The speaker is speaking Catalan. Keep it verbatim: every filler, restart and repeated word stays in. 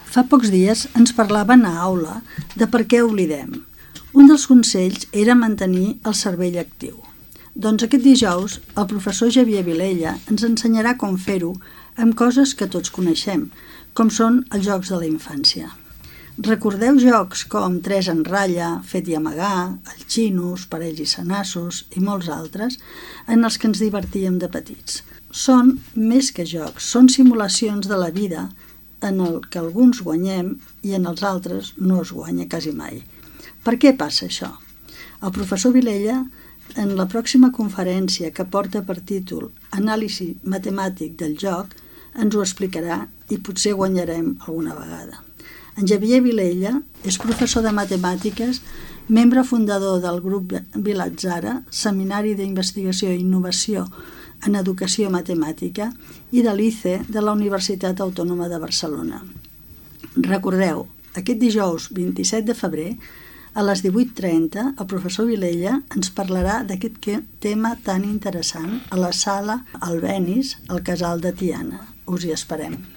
Fa pocs dies ens parlaven a aula de per què oblidem. Un dels consells era mantenir el cervell actiu. Doncs aquest dijous el professor Xavier Vilella ens ensenyarà com fer-ho amb coses que tots coneixem, com són els jocs de la infància. Recordeu jocs com tres en ratlla, fet i amagar, el xinos, parells i senassos i molts altres en els que ens divertíem de petits. Són més que jocs, són simulacions de la vida en el que alguns guanyem i en els altres no es guanya quasi mai. Per què passa això? El professor Vilella, en la pròxima conferència que porta per títol Anàlisi matemàtic del joc, ens ho explicarà i potser guanyarem alguna vegada. En Xavier Vilella és professor de matemàtiques, membre fundador del grup Vilatzara, Seminari d'Investigació i Innovació en Educació Matemàtica, i de l'I C E de la Universitat Autònoma de Barcelona. Recordeu, aquest dijous vint-i-set de febrer, a les divuit trenta, el professor Vilella ens parlarà d'aquest tema tan interessant a la sala Albéniz, al Casal de Tiana. Us hi esperem.